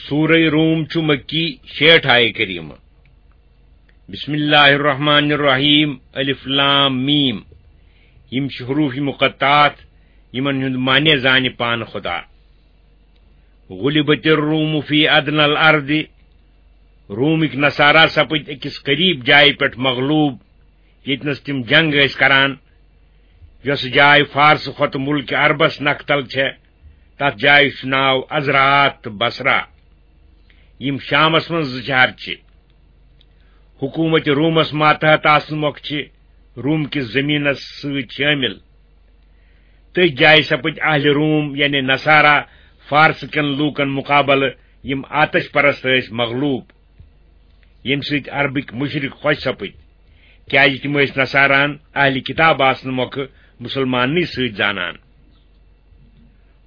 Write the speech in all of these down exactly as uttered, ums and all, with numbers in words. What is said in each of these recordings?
سورہ روم چھُ مکی، شیٹھ آیہ کریمہ۔ بسم اللہ الرحمن الرحیم، الف لام میم۔ یِم چھِ حروف مقطعات، یِمن ہُنٛد معنی زانہِ پانہٕ خدا۔ غلبت الروم فی ادنی الارض، رومٕکۍ نصارا سپٕدۍ أکِس قریب جایہِ پٮ۪ٹھ مغلوب، ییٚتنَس تِم جنگ ٲسۍ کران، یۄس جاے فارس کھۄتہٕ ملکہِ عربس نکھ تل چھےٚ۔ تتھ جایہِ چھُ ناو ازرعات تہٕ بصرہ۔ یِم شامس منٛز زٕ شہر چھِ۔ حکومت رومس ماتحت آسنہٕ مۄکھٕ چھِ روم کِس زمینس سۭتۍ شٲمِل۔ تٔتھۍ جایہِ سپٕدۍ اہلِ روم، یعنی نصارا، فارس کٮ۪ن لوٗکن مقابلہٕ، یِم آتش پرست ٲسۍ، مغلوب، ییٚمہِ سۭتۍ عربٕکۍ مشرک خۄش سپٕدۍ، کیازِ تِم ٲسۍ نصاراہن اہلِ کتاب آسنہٕ مۄکھٕ مسلماننٕے سۭتۍ زانان۔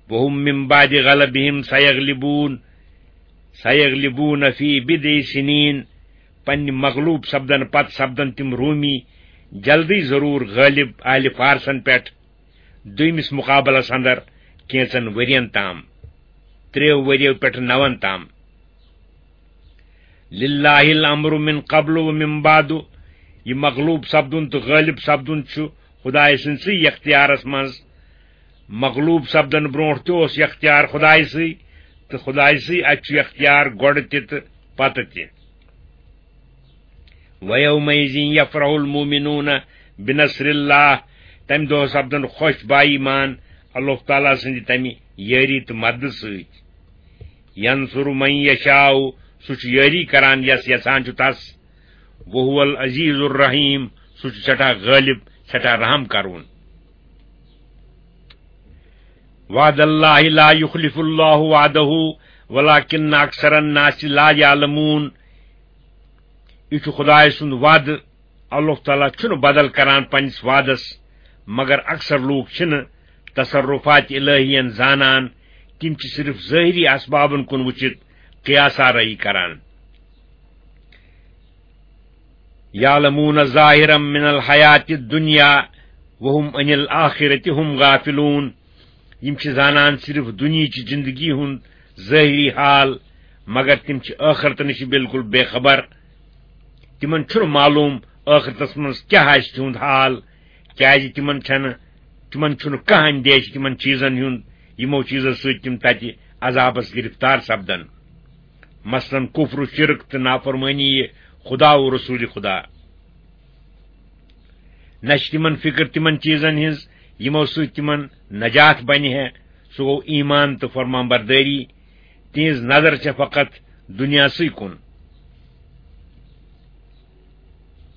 وَهُمْ مِنْ بَعْدِ غَلَبِهِمْ سَيَغْلِبُونَ، سَيَغْلِبُونَ فِي بِضْعِ سِنِينَ، پننہِ مغلوب سپدن پتہٕ سپدن تِم رومی جلدی ضرور غٲلب اہلِ فارسن پٮ۪ٹھ، دوٚیمِس مقابلس اندر کینژن ؤرین تام، ترٛیٚیو ؤرِیو پٮ۪ٹھٕ نون تام۔ لِلَّهِ الْأَمْرُ مِنْ قَبْلُ وَمِنْ بَعْدُ، یہِ مغلوب سپدُن تہٕ غٲلب سپدُن چھُ خدایہِ سٕنٛدسٕے اختیارس منٛز۔ مغلوب سپدن برونٹھ تہِ اوس یہِ اختیار خدایہِ سٕے، تہٕ خدایہِ سٕے اتھِ چھُ یہِ اختیار گۄڈٕ تہِ تہٕ پتہٕ تہِ۔ وَيَوْمَئِذٍ يَفْرَحُ الْمُؤْمِنُونَ بِنَصْرِ اللَّهِ، تمہِ دۄہ سپدن خۄش با ایمان اللہ تعالیٰ سٕنٛدِ تمہِ یٲری تہٕ مددٕ سۭتۍ۔ يَنْصُرُ مَنْ يَشَاءُ، سُہ چھُ یٲری کران یس یژھان چھُ تس۔ وَهُوَ الْعَزِيزُ الرَّحِيمُ، سُہ چھُ سٮ۪ٹھاہ غٲلب، سٮ۪ٹھاہ رحم کرون۔ وَعْدَ اللَّهِ لَا يُخْلِفُ اللَّهُ وَعْدَهُ وَلَٰكِنَّ أَكْثَرَ النَّاسِ لَا يَعْلَمُونَ۔ یہِ چھُ خدایہِ سُنٛد وعدٕ۔ اللہ تعالیٰ چھُنہٕ بدل کران پننِس وعدس، مگر اکثر لوٗکھ چھِنہٕ تصرفات الہیَن زانان۔ تِم چھِ صرف ظٲہری اسبابن کُن وٕچھِتھ قیاس آرٲیی کران۔ يَعْلَمُونَ ظَاهِرًا مِنَ الْحَيَاةِ الدُّنْيَا وَهُمْ عَنِ الْآخِرَةِ هُمْ غَافِلُونَ۔ یِم چھِ زانان صرف دُنیاہچہِ زندگی ہُنٛد ظٲہری حال، مگر تِم چھِ ٲخرتہٕ نِش بالکل بے خبر۔ تِمن چھُنہٕ معلوم ٲخرتس منٛز کیٛاہ آسہِ تِہُنٛد حال، کیٛازِ تِمن چھَنہٕ، تِمن چھُنہٕ کانٛہہ اندیشہِ تِمن چیٖزن ہُنٛد، یِمو چیٖزو سۭتۍ تِم تتہِ عذابس گرفتار سپدن۔ مثلاً کفر و شرک تہٕ نافرمٲنی خدا و رسول خدا۔ نہ چھِ تِمن فکر تِمن چیٖزن ہٕنٛز، یِمو سۭتۍ تِمن نجات بنہِ ہے، سُہ گوٚو ایمان تہٕ فرمان بردٲری۔ تِہنٛز نظر چھےٚ فقط دُنیاسٕے کُن۔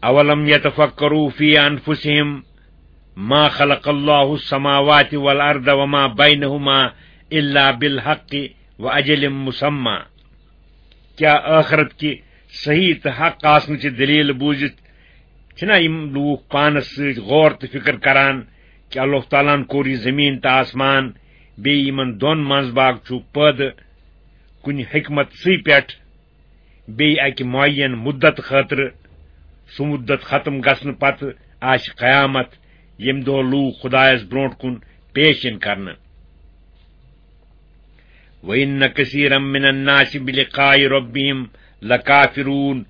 أَوَلَمْ يَتَفَكَّرُوا فِي أَنفُسِهِمْ مَا خَلَقَ اللَّهُ السَّمَاوَاتِ وَالْأَرْضَ وَمَا بَيْنَهُمَا إِلَّا بِالْحَقِّ وَأَجَلٍ مُسَمًّى۔ کیٛاہ ٲخرت کہِ صحیح تہٕ حق آسنٕچہِ دٔلیٖل بوٗزِتھ چھِنا یِم لوٗکھ پانس سۭتۍ غور تہٕ فکر کران کہِ اللہ تعالیٰ ہن کوٚر یہِ زٔمیٖن تہٕ آسمان، بیٚیہِ یِمن دۄن منٛز باگ چھُ پٲدٕ کُنہِ حکمت سٕے پٮ۪ٹھ، بیٚیہِ اکہِ معین مدت خٲطرٕ؟ سُہ مدت ختم گژھنہٕ پتہٕ آسہِ قیامت، ییٚمہِ دۄہ لوٗکھ خدایس برونٛٹھ کُن پیش یِن کرنہٕ۔ وَإِنَّ كَثِيرًا مِنَ النَّاسِ بِلِقَاءِ رَبِّهِمْ لَكَافِرُونَ۔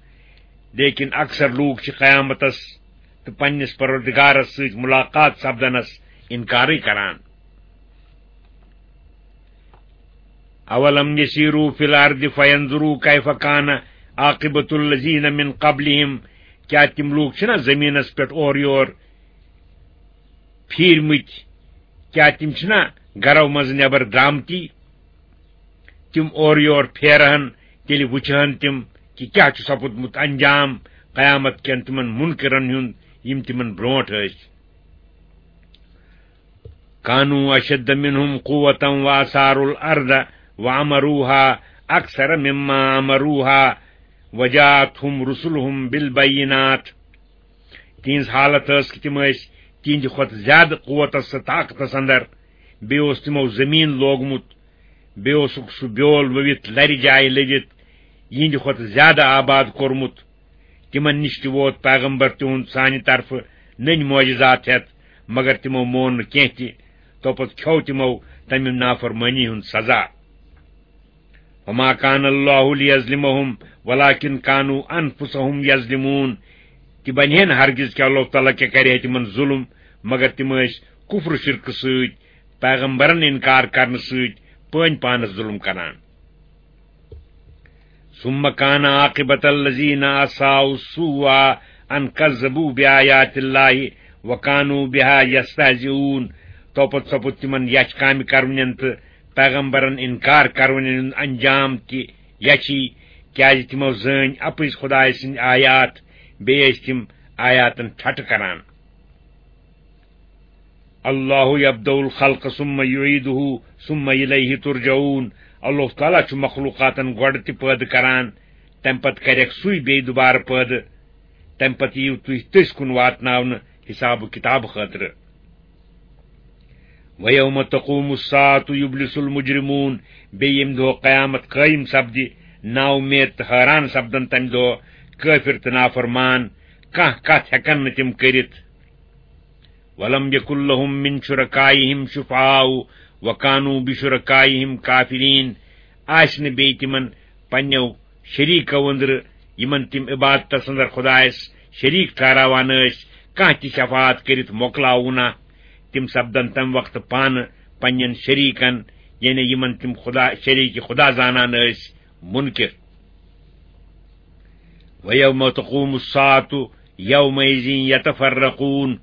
لیکن اکثر لوٗکھ چھِ قیامتس تہٕ پننِس پروردگارس سۭتۍ ملاقات سپدنس انکارٕے کران۔ أَوَلَمْ يَسِيرُوا فِي الْأَرْضِ فَيَنْظُرُوا كَيْفَ كَانَ عَاقِبَةُ الَّذِينَ مِنْ قَبْلِهِمْ۔ کیٛاہ تِم لوٗکھ چھِنہ زٔمیٖنَس پٮ۪ٹھ اورٕ یور پھیٖرمٕتۍ؟ کیٛاہ تِم چھِنہ گرو منٛزٕ نٮ۪بر درٛامتی؟ تِم اورٕ یور پھیرہن، تیٚلہِ وٕچھہن تِم کہِ کیٛاہ چھُ سپُدمُت انجام قیامت کٮ۪ن تِمن منکرن ہُنٛد، یِم تِمن برونٛٹھ ٲسۍ۔ كَانُوا أَشَدَّ مِنْهُمْ قُوَّةً وَأَثَارُوا الْأَرْضَ وَعَمَرُوهَا أَكْثَرَ مِمَّا عَمَرُوهَا وَجَاءَتْهُمْ رُسُلُهُمْ بِالْبَيِّنَاتِ۔ تِہنٛز حالت ٲس کہِ تِم ٲسۍ تِہنٛدِ کھۄتہٕ زیادٕ قوتس تہٕ طاقتس اندر، بیٚیہِ اوس تِمو زٔمیٖن لوگمُت، بیٚیہِ اوسُکھ سُہ بیول ؤوِتھ لرِ جایہِ لٔدِتھ یِہنٛدِ کھۄتہٕ زیادٕ آباد کوٚرمُت۔ تِمن نِش تہِ ووت پیغمبر تِہُنٛد سانہِ طرفہٕ نٔنۍ معجزات ہٮ۪تھ، مگر تِمو مون نہٕ کینٛہہ تہِ۔ توپتہٕ کھیوٚو تِمو تمہِ نافرمٲنی ہُنٛد سزا۔ وما كان الله ليظلمهم ولكن كانوا أنفسهم يظلمون۔ تہِ بنہِ ہے نہٕ ہرگز کہِ اللہ تعالیٰ کیٛاہ کرِ ہے تِمن ظلم، مگر تِم ٲسۍ کفر و شرکہٕ سۭتۍ، پیغمبرن انکار کرنہٕ سۭتۍ پٲنۍ پانس ظلم کران۔ ثم كان عاقبة الذين أساءوا السوء أن كذبوا بآيات الله وكانوا بها يستهزئون۔ تو پتہٕ سپُد تِمن یچھ کامہِ کرونٮ۪ن تہٕ پیغمبرن انکار کرونٮ۪ن ہُنٛد انجام تہِ یچھی، کیازِ تِمو زٲنۍ اپٕز خدایہِ سٕنٛدۍ آیات، بیٚیہِ ٲسۍ تِم آیاتن ٹھٹہٕ کران۔ اللہ یبدأ الخلق ثم یعیدہ ثم الیہ ترجعون۔ اللہ تعالیٰ چھُ مخلوقاتن گۄڈٕ تہِ پٲدٕ کران، تمہِ پتہٕ کرٮ۪کھ سُے بیٚیہِ دُبارٕ پٲدٕ، تمہِ پتہٕ یِیِو تُہۍ تٔسۍ کُن واتناونہٕ حساب و کتاب خٲطرٕ۔ ویوم تقوم الساعة یبلس المجرمون۔ بیٚیہِ ییٚمہِ دۄہ قیامت قٲیِم سپدِ، نااُمید تہٕ حٲران سپدن تمہِ دۄہ کٲفر تہٕ نافرمان، کانٛہہ کتھ ہٮ۪کن نہٕ تِم کٔرِتھ۔ ولم یکن لهم من شرکائهم شفعاء وکانوا بشرکائهم کافرین۔ آسہِ نہٕ بیٚیہِ تِمن پننیو شریکو أنٛدرٕ، یِمن تِم عبادتس اندر خدایس شریک ٹھہراوان ٲسۍ، کانٛہہ تہِ شفاعت کٔرِتھ مۄکلاوُنا۔ تِم سپدن تمہِ وقتہٕ پانہٕ پننٮ۪ن شریکن، یعنی یِمن تِم خدا، شریک خدا زانان ٲسۍ، منکر۔ وَيَوْمَ تَقُومُ السَّاعَةُ يَوْمَئِذٍ يَتَفَرَّقُونَ۔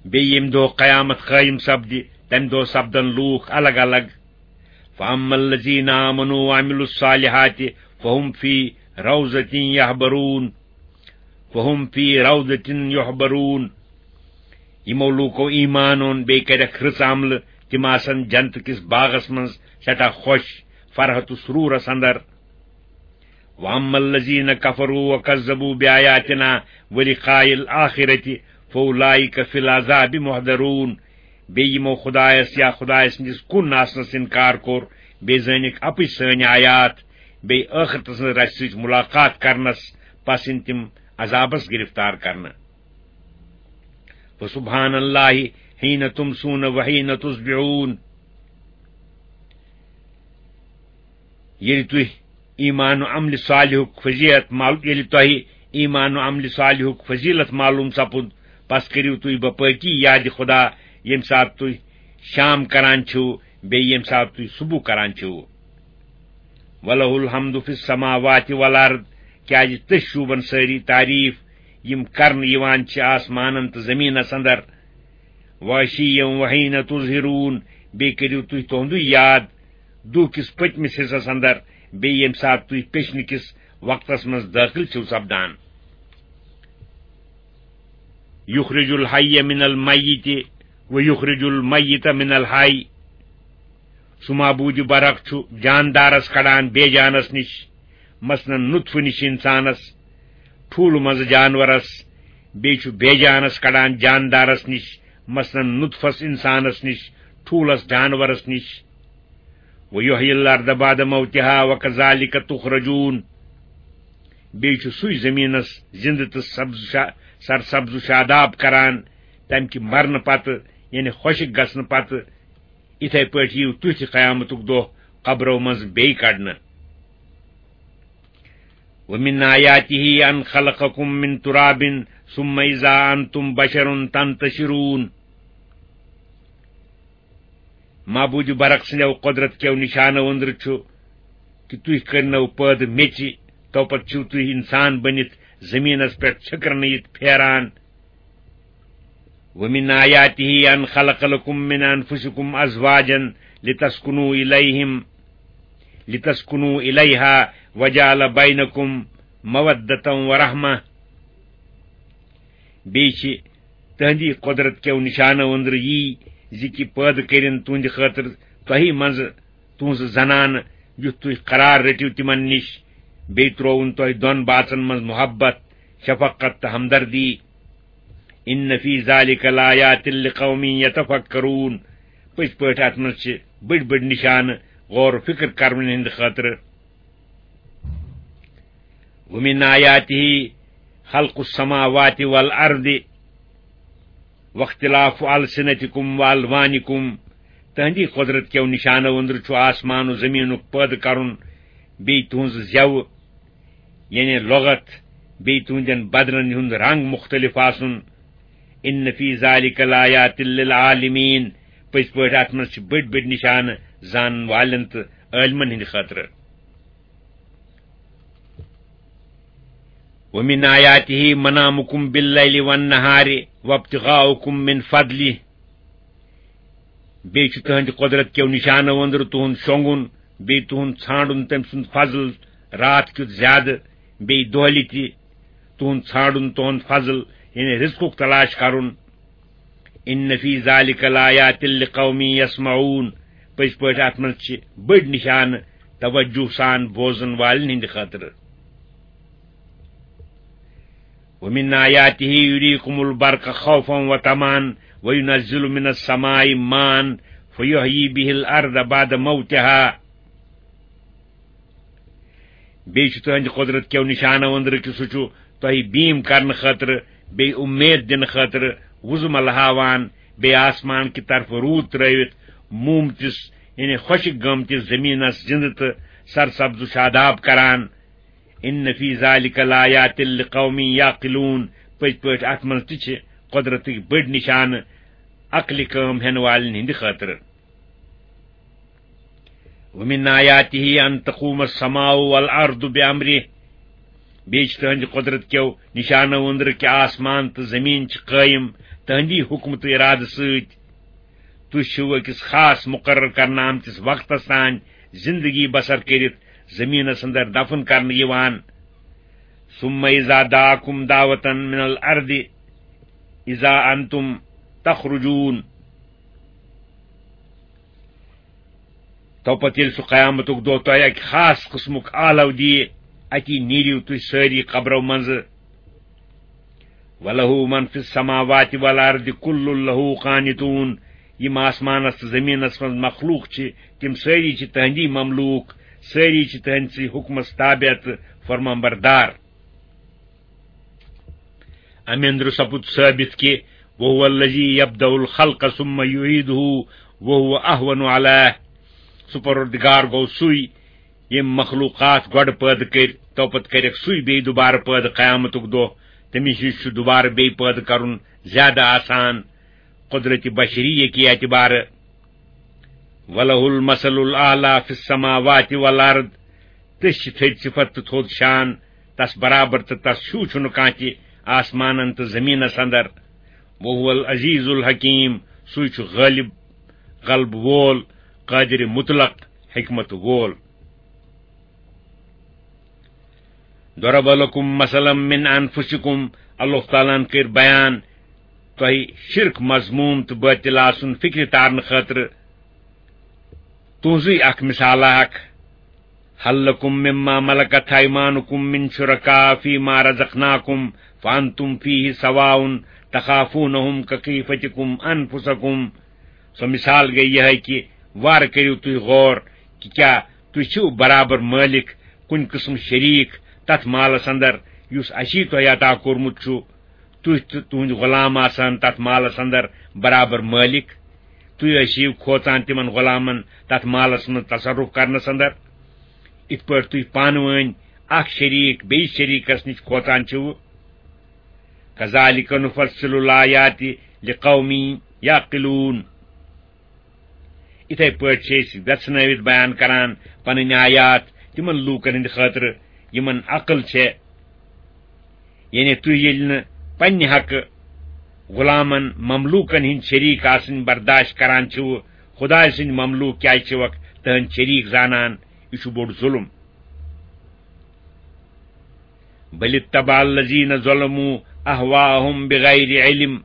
بیٚیہِ ییٚمہِ دۄہ قیامت قٲیِم سپدِ، تَمہِ دۄہ سپدن لوٗکھ الگ الگ۔ فَأَمَّا الَّذِينَ آمَنُوا وَعَمِلُوا الصَّالِحَاتِ فَهُمْ فِي رَوْضَةٍ يَحْبَرُونَ۔ فَهُمْ فِي رَوْضَةٍ يَحْبَرُونَ۔ یِمو لوٗکو ایمان اوٚن، بیٚیہِ کَرٮ۪کھ رٕژ عملہٕ، تِم آسن جنتہٕ کِس باغس منٛز سٮ۪ٹھاہ خۄش، فرحت و سرورس اندر۔ وَأَمَّا الَّذِينَ كَفَرُوا وَكَذَّبُوا بِآيَاتِنَا وَلِقَاءِ الْآخِرَةِ فَأُولَٰئِكَ فِي الْعَذَابِ مُحْضَرُونَ۔ بیٚیہِ یِمو خدایس یا خدایہِ سٕنٛدِس کُن آسنس انکار کوٚر، بیٚیہِ زٲنِکھ اپٕز سٲنۍ آیات، بیٚیہِ ٲخرتس منٛز رژھِ سۭتۍ ملاقات کرنس، پس یِن تِم عذابس گرفتار کرنہٕ۔ فَسُبْحَانَ اللَّهِ حِينَ تُمْسُونَ وَحِينَ تُصْبِحُونَ۔ ییٚلہِ تُہۍ ایمان و عملِ صالحُک فضیلت معلوم، ییٚلہِ تۄہہِ ایمان و عملِ صالحُک فضیلت معلوم سپُد، پس کٔرِو تُہۍ باپٲکی یاد خدا، ییٚمہِ ساتہٕ تُہۍ شام کران چھِو، بیٚیہِ ییٚمہِ ساتہٕ تُہۍ صبح کران چھِو۔ وَلَهُ الْحَمْدُ فِي السَّمَاوَاتِ وَالْأَرْضِ۔ کیازِ تٔسۍ شوٗبن سٲری تعریٖف، یِم کرنہٕ یِوان چھِ آسمانن تہٕ زٔمیٖنس اندر۔ وَعَشِيًّا وَحِينَ تُظْهِرُونَ۔ بیٚیہِ کٔرِو تُہۍ تُہُنٛدُے یاد دُہ کِس پٔتمِس حصس اندر، بیٚیہِ ییٚمہِ ساتہٕ تُہۍ پیٚچھنہٕ کِس وقتس منٛز دٲخل چھِو سپدان۔ يُخْرِجُ الْحَيَّ مِنَ الْمَيِّتِ وَيُخْرِجُ الْمَيِّتَ مِنَ الْحَيِّ۔ سُہ معبوٗدِ برحق چھُ جاندارس کڑان بے جانس نِش، مثلاً نطفہٕ نِش انسانس، ٹھوٗلہٕ منٛزٕ جانورس، بیٚیہِ چھُ بے جانس کڑان جاندارس نِش، مثلاً نطفس انسانس نِش، ٹھوٗلس جانورس نِش۔ وَيُحْيِي الْأَرْضَ بَعْدَ مَوْتِهَا وَكَذَلِكَ تُخْرَجُونَ۔ بیٚیہِ چھُ سُے زٔمیٖنَس زِنٛدٕ تہٕ سبز شا-، سرسبز و شاداب کران، تَمہِ کہِ مرنہٕ پتہٕ، یعنی خۄشٕک گژھنہٕ پتہٕ، یِتھے پٲٹھۍ یِیِو تُہۍ تہِ قیامتُک دۄہ قبرو منٛز بیٚیہِ کڑنہٕ۔ وَمِنْ آيَاتِهِ أَنْ خَلَقَكُمْ مِنْ تُرَابٍ ثُمَّ إِذَا أَنْتُمْ بَشَرٌ تَنْتَشِرُونَ۔ معبوٗدِ برحق سٕنٛدیو قۄدرت کیو نِشانو أنٛدرٕ چھُ کہِ تُہۍ کٔرنو پٲدٕ میٚژِ، تو پتہٕ چھِو تُہۍ اِنسان بٔنِتھ زٔمیٖنس پٮ۪ٹھ چھٔکرنہٕ یِتھ پھیران۔ وَمِنْ آيَاتِهِ أَنْ خَلَقَ لَكُمْ مِنْ أَنْفُسِكُمْ أَزْوَاجًا لِتَسْكُنُوا إِلَيْهِمْ، لِتَسْكُنُوا إِلَيْهَا وَجَعَلَ بَيْنَكُمْ مَوَدَّةً وَرَحْمَةً۔ بیٚیہِ چھِ تہنٛدی قۄدرت کیو نِشانو أنٛدرٕ یی زِ کہِ پٲدٕ کٔرِن تُہنٛدِ خٲطرٕ تۄہہِ منٛزٕ تُہنٛزٕ زنانہٕ، یُتھ تُہۍ قرار رٔٹِو تِمن نِش۔ بیٚیہِ ترٛووُن تۄہہِ دۄن باژن منٛز محبت، شفقت تہٕ ہمدردی۔ إِنَّ فِي ذَلِكَ لَآيَاتٍ لِقَوْمٍ يَتَفَكَّرُونَ۔ پٔزۍ پٲٹھۍ اتھ منٛز چھِ بٔڑۍ بٔڑۍ نِشانہٕ غور و فکر کرنہٕ ہٕنٛدِ خٲطرٕ۔ وَمِنْ آيَاتِهِ خَلْقُ السَّمَاوَاتِ وَالْأَرْضِ وَاخْتِلَافُ أَلْسِنَتِكُمْ وَأَلْوَانِكُمْ تہنٛدی قۄدرت کیو نشانو أنٛدرٕ چھُ آسمان و زمینُک پٲدٕ کرُن، بیٚیہِ تُہنٛز زٮ۪وٕ، یعنی لغت، بیٚیہِ تُہنٛدٮ۪ن بدنن ہُنٛد رنگ مُختٔلِف آسُن۔ ان فی ذالک لآیات للعالمین، پٔزۍ پٲٹھۍ اتھ منٛز چھِ بٔڑۍ بٔڑۍ نشانہٕ زانن والٮ۪ن تہٕ عٲلمن ہٕنٛدِ خٲطرٕ۔ ومن آیاته منامکم باللیل والنہار وابتغاؤکم من فضلہ۔ بیٚیہِ چھُ تُہنٛدِ قۄدرت کیو نِشانو أنٛدرٕ تُہُنٛد شۄنٛگُن، بیٚیہِ تُہُنٛد ژھانٛڈُن تٔمۍ سُنٛد فضل راتھ کیُتھ زیادٕ، بیٚیہِ دۄہلہِ تہِ تُہُنٛد ژھانٛڈُن تُہُنٛد فضل، یعنی رزقُک تلاش کرُن۔ ان فی ذالک لآیات لقوم یسمعون، پٔزۍ پٲٹھۍ اتھ منٛز چھِ بٔڑۍ نِشانہٕ توجہ سان بوزن والٮ۪ن ہٕنٛدِ خٲطرٕ۔ ومن آیاته یریکم البرق خوفا وطمعا وینزل من السماء ماء فیحیی به الارض بعد موتها۔ بیٚیہِ چھُ تُہنٛدِ قۄدرت کیو نِشانو أنٛدرٕ کہِ سُہ چھُ تۄہہِ بیٖم کرنہٕ خٲطرٕ، بیٚیہِ اُمید دِنہٕ خٲطرٕ وُزمل ہاوان، بیٚیہِ آسمان کہِ طرفہٕ روٗد ترٲوِتھ موٗمتِس، یعنی خۄشٕک گٲمتِس زٔمیٖنس زِنٛدٕ تہٕ سرسبز و شاداب کران۔ ان فی ذالک لآیات لقوم یعقلون، پٔزۍ پٲٹھۍ اتھ منٛز تہِ چھِ قۄدرتٕکۍ بٔڑۍ نِشانہٕ عقلہِ کٲم ہٮ۪نہٕ والٮ۪ن ہٕنٛدِ خٲطرٕ۔ ومن آیاته ان تقوم السماء والارض بامره، بیٚیہِ چھِ تُہنٛدِ قۄدرت کیو نِشانو أنٛدرٕ کہِ آسمان تہٕ زٔمیٖن چھِ قٲیِم تُہنٛدی حُکمہٕ تہٕ اِرادٕ سۭتۍ۔ تُہۍ چھِو أکِس خاص مُقرر کرنہٕ آمتِس وقتس تام زِندگی بسر کٔرِتھ زٔمیٖنس اندر دفن کرنہٕ یِوان۔ ثم اذا دعاکم دعوة من الارض اذا انتم تخرجون۔ تو پتہٕ ییٚلہِ سُہ قیامتُک دۄہ تۄہہِ اکہِ خاص قٕسمُک آلو دِیہِ، اتی نیٖرِو تُہۍ سٲری قبرو منٛزٕ۔ وَلَهُ مَنْ فِي السَّمَاوَاتِ وَالْأَرْضِ كُلٌّ لَهُ قَانِتُونَ۔ یِم آسمانس تہٕ زٔمیٖنس منٛز مخلوق چھِ، تِم سٲری چھِ تٕہنٛدی مملوٗک، سٲری چھِ تٕہنٛدسٕے حُکمس تابع تہٕ فرمانبردار۔ اَمہِ اندرٕ سپُد ثٲبت کہِ وَهُوَ الَّذِي يَبْدَأُ الْخَلْقَ ثُمَّ يُعِيدُهُ وَهُوَ أَهْوَنُ عَلَيْهِ۔ سُہ پروردگار گوٚو سُے، ییٚمۍ مخلوقات گۄڈٕ پٲدٕ کٔرۍ، تو پتہٕ کٔرِکھ سُے بیٚیہِ دُبارٕ پٲدٕ قیامتُک دۄہ۔ تٔمِس نِش چھُ دُبارٕ بیٚیہِ پٲدٕ کرُن زیادٕ آسان، قدرت بشریہ کہِ اعتبارٕ۔ وَلَهُ الْمَثَلُ الْأَعْلَى فِي السَّمَاوَاتِ وَالْأَرْضِ۔ تٔسۍ چھِ تھٔدۍ صفت تہٕ تھوٚد شان، تس برابر تہٕ تس ہیوٗ چھُنہٕ کانٛہہ تہِ آسمانن تہٕ زٔمیٖنس اندر۔ وَهُوَ الْعَزِيزُ الْحَكِيمُ، سُے چھُ غٲلب، غلبہٕ وول، قادر مطلق، حکمت وول۔ ضَرَبَ لَكُم مَّثَلًا مِّنْ أَنفُسِكُمْ، اللہ تعالیٰ ہن کٔر بیان تۄہہِ شرک مذموم تہٕ باطل آسُن فکرِ تارنہٕ خٲطرٕ تُہنٛزٕے اکھ مثالہ اکھ۔ هَلْ لَكُم مِّمَّا مَلَكَتْ أَيْمَانُكُم مِّن شُرَكَاءَ فِيمَا رَزَقْنَاكُمْ فَأَنتُمْ فِيهِ سَوَاءٌ تَخَافُونَهُمْ كَخِيفَتِكُمْ أَنفُسَكُمْ۔ سۄ مثال گٔے یِہے کہِ وارٕ کٔرِو تُہۍ غور کہِ کیٛاہ تُہۍ چھِو برابر مٲلِک کُنہِ قٕسمہٕ شریٖک تتھ مالس اندر یُس اسی تۄہہِ عطا کوٚرمُت چھُ، تُہۍ تہٕ تُہنٛدۍ غلام آسان تتھ مالس اندر برابر مٲلِک؟ تُہۍ ٲسِو کھوژان تِمن غلامن تتھ مالس منٛز تصرف کرنس اندر، یِتھ پٲٹھۍ تُہۍ پانہٕ وٲنۍ اکھ شریٖک بیٚیِس شریٖکس نِش کھوژان چھِو؟ كَذَلِكَ نُفَصِّلُ الْآيَاتِ لِقَوْمٍ يَعْقِلُونَ۔ یِتھے پٲٹھۍ چھِ أسۍ ویژھنٲوِتھ بیان کران پنٕنۍ آیات تِمن لوٗکن ہٕنٛدِ خٲطرٕ یِمن عقل چھےٚ۔ یعنی تُہۍ ییٚلہِ نہٕ پننہِ حقہٕ غلامن مملوٗکن ہٕنٛدۍ شریٖک آسٕنۍ برداشت کران چھِو، خدایہِ سٕنٛدۍ مملوٗک کیازِ چھِوکھ تٕہنٛدۍ شریٖک زانان؟ یہِ چھُ بوٚڑ ظُلم۔ بل اتبع الذین ظلموا اہواءہم بغیر علم،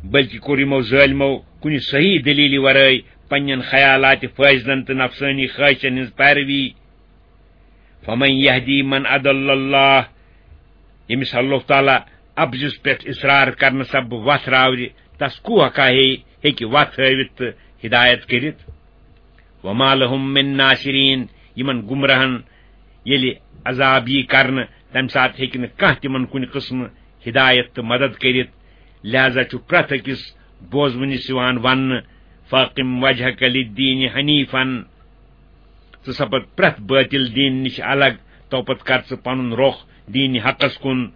بلکہ کوٚر یِمو ظٲلمو کُنہِ صحیح دلیلہِ ورٲے پننٮ۪ن خیالات فٲصلن تہٕ نفسٲنی خواہشن ہٕنٛز پیروی۔ فمن یہدی من اضل اللہ، ییٚمِس اللہ تعالیٰ اپزِس پٮ۪ٹھ اصرار کرنہٕ سببہٕ وتھ راورِ، تس کُو ہکا ہے ہیٚکہِ وتھ ہٲوِتھ تہٕ ہدایت کٔرِتھ؟ وما لهم من ناصرین، یِمن گمراہن ییٚلہِ عذاب یی کرنہٕ، تمہِ ساتہٕ ہیٚکہِ نہٕ کانٛہہ تِمن کُنہِ قٕسمہٕ ہدایت تہٕ مدد کٔرِتھ۔ لہذا چھُ پرٛٮ۪تھ أکِس بوزوٕنِس یِوان وننہٕ، "فاقم وجہک للدین حنیفا"، ژٕ سپد پرٛٮ۪تھ بٲطِل دیٖن نِش الگ، تو پتہٕ کر ژٕ پنُن رۄخ دیٖنِ حقس کُن،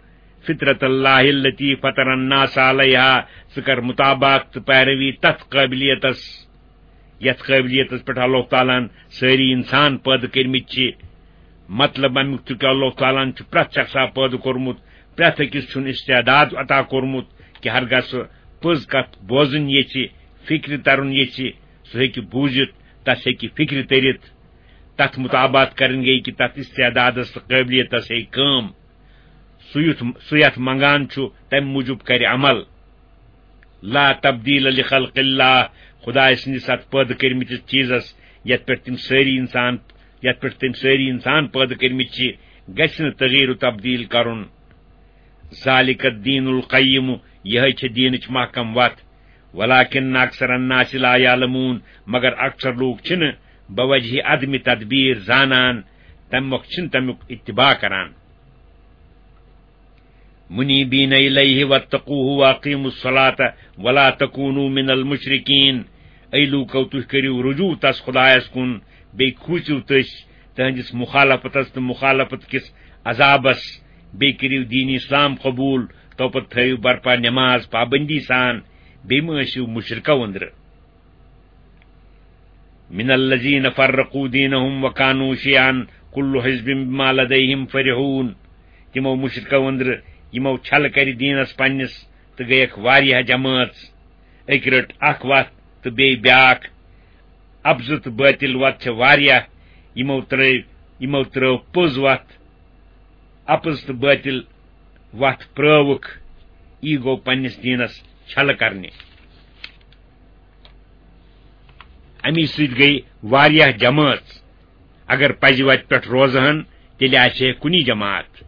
فطرت اللہ التی فطر الناس علیہا، ژٕ کر مطابقت تہٕ پیروی تتھ قٲبلیتس، یتھ قٲبلیتس پٮ۪ٹھ اللہ تعالیٰ ہن سٲری انسان پٲدٕ کٔرمٕتۍ چھِ۔ مطلب امیُک چھُ کہِ اللہ تعالیٰ ہن چھُ پرٛٮ۪تھ شخصا پٲدٕ کوٚرمُت، پرٛٮ۪تھ أکِس چھُن استعداد عطا کوٚرمُت کہِ ہرگاہ سُہ پٔز کتھ بوزٕنۍ یژھِ، فکرِ ترُن یژھِ، سُہ ہیٚکہِ بوٗزِتھ، تس ہیٚکہِ فکرِ تٔرِتھ۔ تتھ مطابقت کرٕنۍ گٔے کہِ تتھ استعدادس تہٕ قٲبلیتس ہیٚکہِ کٲم۔ سُہ یُتھ، سُہ یتھ منگان چھُ، تمہِ موٗجوٗب کرِ عمل۔ لا تبدیل لخلق اللہ، خدایہِ سٕنٛدِس اتھ پٲدٕ کٔرمٕتِس چیٖزس، یتھ پٮ۪ٹھ تِم سٲری انسان، یتھ پٮ۪ٹھ تِم سٲری انسان پٲدٕ کٔرمٕتۍ چھِ، گژھِ نہٕ تغییر و تبدیل کرُن۔ ذالک الدین القیم، یہے چھِ دیٖنٕچ محکم وتھ۔ ولکن اکثر الناس لا یعلمون، مگر اکثر لوٗکھ چھِنہٕ بوجہ عدم تدبیر زانان، تمہِ مۄکھ چھِنہٕ تمیُک اتباع کران۔ منیبین الیہ واتقوہ واقیموا الصلاۃ ولا تکونوا من المشرکین۔ اے لوٗکو، تُہۍ کٔرِو رجوع تس خدایس کُن، بیٚیہِ کھوٗژِو تٔسۍ تہنٛدِس مخالفتس تہٕ مخالفت کِس عذابس، بیٚیہِ کٔرِو دین اسلام قبول، تو پتہٕ تھٲیِو برپا نماز پابندی سان، بیٚیہِ مہٕ ٲسِو مشرکو أنٛدرٕ۔ من الذین فرقوا دینہم وکانوا شیعا کل حزب بما لدیہم فرحون۔ تِمو مشرکو أنٛدرٕ یِمو چھلہٕ کرِ دیٖنس پننِس تہٕ گٔیکھ واریاہ جمٲژ۔ أکۍ رٔٹ اکھ وتھ تہٕ بیٚیہِ بیٛاکھ۔ اپزٕ تہٕ بٲطِل وتھ چھےٚ واریاہ، یِمو ترٲو، یِمو ترٲو پوٚز وتھ، اپٕز تہٕ بٲطِل وتھ پرٲوٕکھ، یی گوٚو پننِس دیٖنس چھلہٕ کرنہِ۔ امی سۭتۍ گٔے واریاہ جمٲژ۔ اگر پزِ وتہِ پٮ۪ٹھ روزٕ ہن، تیٚلہِ آسہِ ہے کُنی جماعت۔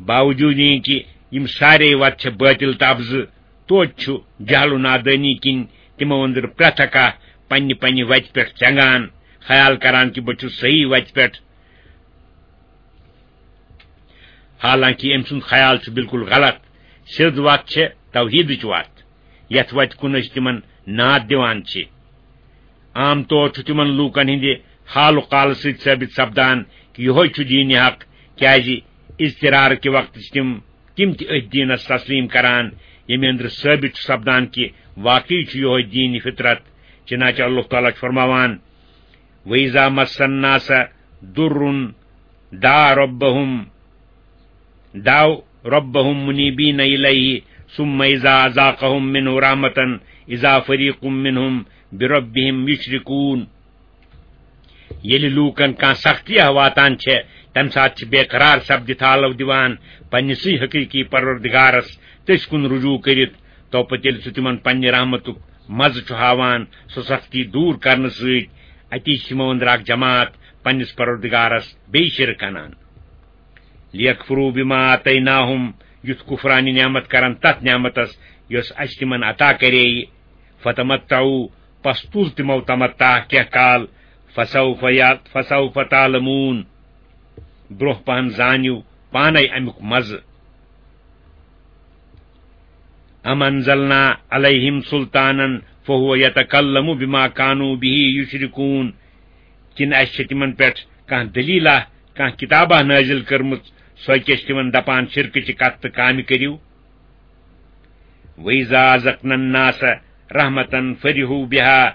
باوجود یہِ کہِ یِم سارے وتہٕ چھےٚ بٲطِل تہٕ اپزٕ، توتہِ چھُ جہل و نادٲنی کِنۍ تِمو أنٛدرٕ پرٛٮ۪تھ اکھ پننہِ پننہِ وتہِ پٮ۪ٹھ ژٮ۪نگان، خیال کران کہِ بہٕ چھُس صحیح وتہِ پٮ۪ٹھ۔ حالانکہ أمۍ سُنٛد خیال چھُ بالکل غلط۔ سیوٚد وتھ چھےٚ توحیدٕچ وتھ، یتھ وتہِ کُن أسۍ تِمن ناد دِوان چھِ۔ عام طور چھُ تِمن لوٗکن ہٕنٛدِ حال و قالہٕ سۭتۍ ثٲبت سپدان کہِ یِہوے چھُ دیٖنِ حق، کیازِ اضطرار کہِ وقتہٕ چھِ تِم، تِم تہِ أتھۍ دیٖنس تسلیٖم کران، ییٚمہِ أنٛدرٕ ثٲبت چھُ سپدان کہِ واقعی چھُ یِہوے دیٖنِ فطرت۔ چنانچہ اللہ تعالیٰ چھُ فرماوان، وَإِذَا مَسَّ النَّاسَ ضُرٌّ دَعَوْا رَبَّهُمْ، دَعَوْا رَبَّهُمْ مُنِيبِينَ إِلَيْهِ ثُمَّ إِذَا أَذَاقَهُمْ مِنْهُ رَحْمَةً إِذَا فَرِيقٌ مِنْهُمْ بِرَبِّهِمْ يُشْرِكُونَ۔ ییٚلہِ لوٗکن کانٛہہ سختی واتان چھےٚ، تَمہِ ساتہٕ چھِ بے قرار سپدِتھ حالو دِوان پننِسٕے حقیٖقی پروردگارس تٔسۍ کُن رجوع کٔرِتھ، تو پتہٕ ییٚلہِ سُہ تِمن پننہِ رحمتُک مزٕ چھُ ہاوان، سۄ سختی دوٗر کرنہٕ سۭتۍ، اتی چھِ یِمو أنٛدرٕ اکھ جماعت پننِس پروردگارس بیٚیہِ شرک انان۔ لِیَکْفُرُوا بِمَا آتَیْنَاهُمْ، یُتھ کُفرانِ نعمت کرن تتھ نعمتس یۄس اسہِ تِمن عطا کرییہِ۔ فَتَمَتَّعُوا، پس تُل تِمو تمتع کینٛہہ کال، فَسَوْفَ یا-، فَسَوْفَ تَعْلَمُونَ، برونٛہہ پہن زانِو پانے امیُک مزٕ۔ أَمْ أَنْزَلْنَا عَلَيْهِمْ سُلْطَانًا فَهُوَ يَتَكَلَّمُ بِمَا كَانُوا بِهِ يُشْرِكُونَ، کِنہٕ اَسہِ چھِ تِمن پٮ۪ٹھ کانٛہہ دٔلیٖلہ، کانٛہہ کِتابہ نٲزِل کٔرمٕژ، سۄے کہِ أسۍ تِمن دپان شرکٕچہِ کتھٕ تہٕ کامہِ کٔرِو؟ وَإِذَا أَذَقْنَا النَّاسَ رَحْمَةً فَرِحُوا بِهَا،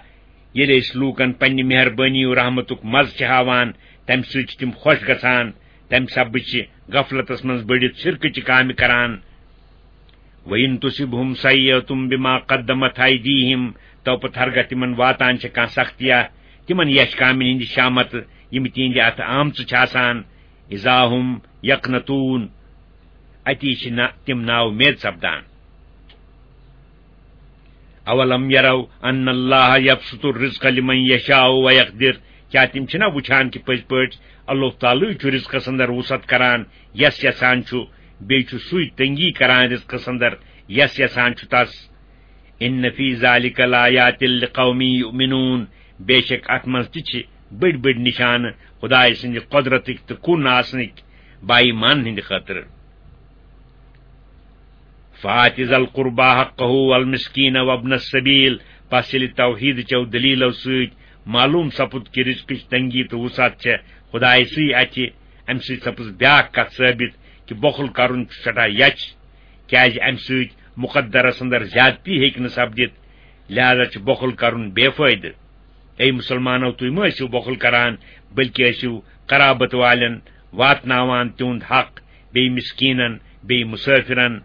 ییٚلہِ أسۍ لوٗکن پننہِ مہربٲنی و رحمتُک مزٕ چھِ ہاوان، تمہِ سۭتۍ چھِ تِم خۄش گژھان، تمہِ سببہٕ چھِ غفلتس منٛز بٔڑِتھ شرکٕچہِ کامہِ کران۔ وَإِنْ تُصِبْهُمْ سَيِّئَةٌ بِمَا قَدَّمَتْ أَيْدِيهِمْ، تو پتہٕ ہرگاہ تِمن واتان چھِ کانٛہہ سختیا تِمن یچھ کامٮ۪ن ہٕنٛدِ شامتہٕ، یِم تِہنٛدِ اتھٕ آمژٕ چھِ آسان، إِذَا هُمْ يَقْنَطُونَ، اتی چھِ نا-، تِم نااُمید سپدان۔ أَوَلَمْ يَرَوْا أَنَّ اللَّهَ يَبْسُطُ الرِّزْقَ لِمَنْ يَشَاءُ وَيَقْدِرُ، کیا تِم چھِنہ وٕچھان کہِ پٔزۍ پٲٹھۍ اللہ تعالیٰ چھُ رِزقَس اندر وُسعت کران، یَس یَژھان چھُ، بیٚیہِ چھُ سُے تنگی کران رِزقَس اندر، یَس یَژھان چھُ تَس۔ إِنَّ فِي ذَلِكَ لَآيَاتٍ لِقَوْمٍ يُؤْمِنُونَ، بے شک اَتھ منٛز تہِ چھِ بٔڑۍ بٔڑۍ نِشانہٕ خدایہِ سٕنٛدِ قۄدرتٕکۍ تہٕ کُن آسنٕکۍ باایمان ہٕنٛدِ خٲطرٕ۔ فآت ذا القربى حقه والمسكين وابن السبيل۔ پس ییٚلہِ توحیٖد چٮ۪و دٔلیٖلو سۭتۍ معلوٗم سپُد کہِ رزقٕچ تنگی تہٕ وسعت چھےٚ خدایہِ سٕے اَتھِ، اَمہِ سۭتۍ سپٕز بیٛاکھ کتھ ثٲبت کہِ بۄخل کرُن چھُ سٮ۪ٹھاہ یچھ، کیازِ اَمہِ سۭتۍ مقدرس اندر زیادتی ہیٚکہِ نہٕ سپدِتھ، لہذا چھُ بۄخل کرُن بے فٲیدٕ۔ اے مسلمانو، تُہۍ مہ ٲسِو بۄخل کران، بلکہِ ٲسِو قرابت والٮ۪ن واتناوان تِہُنٛد حق، بیٚیہِ مسکیٖنن، بیٚیہِ مسٲفرن۔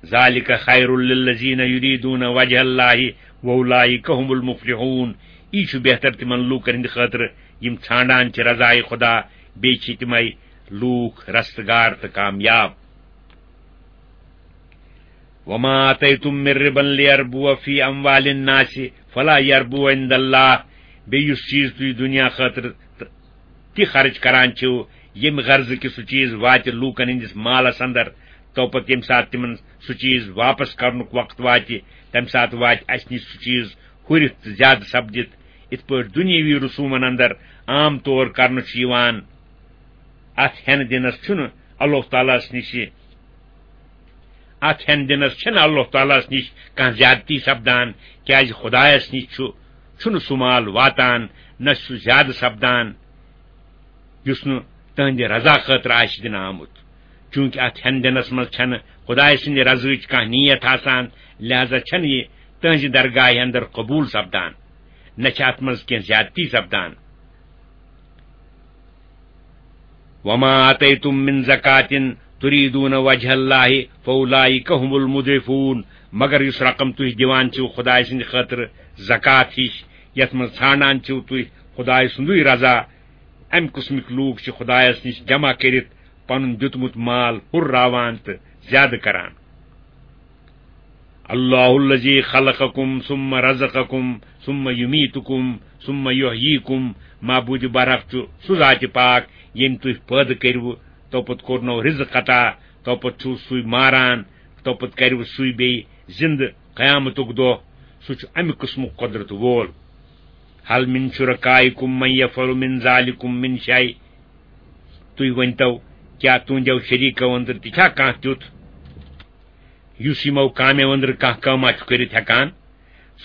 ذالک خیر للذین یریدون وجہ اللہ واولئک هم المفلحون۔ یی چھُ بہتر تِمن لوٗکن ہٕنٛدِ خٲطرٕ یِم ژھانڈان چھِ رضایہِ خدا، بیٚیہِ چھِ تِمے لوٗکھ رستگار تہٕ کامیاب۔ وما آتیتم من ربا لیربو فی اموال الناس فلا یربو عند اللہ۔ بیٚیہِ یُس چیٖز تُہۍ دُنیا خٲطرٕ تہِ خرٕچ کران چھِو، ییٚمہِ غرضہٕ کہِ سُہ چیٖز واتہِ لوٗکن ہٕنٛدِس مالس اندر، تو پتہٕ ییٚمہِ ساتہٕ تِمن سُہ چیٖز واپس کرنُک وقت واتہِ، تمہِ ساتہٕ واتہِ اسہِ نِش سُہ چیٖز ہُرِتھ تہٕ زیادٕ سپدِتھ، یِتھ پٲٹھۍ دُنیٲوی رسوٗمن اندر عام طور کرنہٕ چھُ یِوان۔ اتھ ہٮ۪نہٕ دِنس چھُنہٕ اللہ تعالیٰ ہس نِش، اتھ ہٮ۪نہٕ دِنس چھنہٕ اللہ تعالیٰ ہس نِش کانٛہہ زیادتی سپدان، کیازِ خدایس نِش چھُ، چھُنہٕ سُہ مال واتان، نہ چھُ سُہ زیادٕ سپدان، یُس نہٕ تہنٛدِ رضا خٲطرٕ آسہِ دِنہٕ آمُت۔ چوٗنٛکہِ اتھ ہٮ۪نہٕ دِنس منٛز چھنہٕ خدایہِ سٕنٛدِ رضاہٕچ کانٛہہ نیت آسان، لہذا چھنہٕ یہِ تہنٛزِ درگاہہِ اندر قبول سپدان، نہ چھِ اتھ منٛز کینٛہہ زیادتی سپدان۔ وما آتیتم من زکاة تریدون وجہ اللہ فاولئک هم المضعفون۔ مگر یُس رقم تُہۍ دِوان چھِو خدایہِ سٕنٛدِ خٲطرٕ زکات ہِش، یتھ منٛز ژھانڈان چھِو تُہۍ خدایہِ سُنٛدُے رضا، امہِ قٕسمٕکۍ لوٗکھ چھِ خدایس نِش جمع کٔرِتھ پنُن دیُتمُت مال ہُرراوان تہٕ زیادٕ کران۔ اللہ الذی خلقکم ثم رزقکم ثم یمیتکم ثم یحییکم۔ معبود برحق چھُ سُہ ذاتِ پاک ییٚمۍ تُہۍ پٲدٕ کٔرِو، توپتہٕ کوٚرنو رزق عطا، توپتہٕ چھُو سُے ماران، توپتہٕ کَرِوٕ سُے بیٚیہِ زِندٕ قیامتُک دۄہ۔ سُہ چھُ اَمہِ قٕسمُک قۄدرت وول۔ ہل من شرکائکم من یفعل من ذالکم من شیء۔ تُہۍ ؤنۍتو، کیٛاہ تُہنٛدیو شریٖکو أنٛدرٕ تہِ چھا کانٛہہ تیُتھ، یُس یِمو کامیو أنٛدرٕ کانٛہہ کٲما چھُ کٔرِتھ ہٮ۪کان؟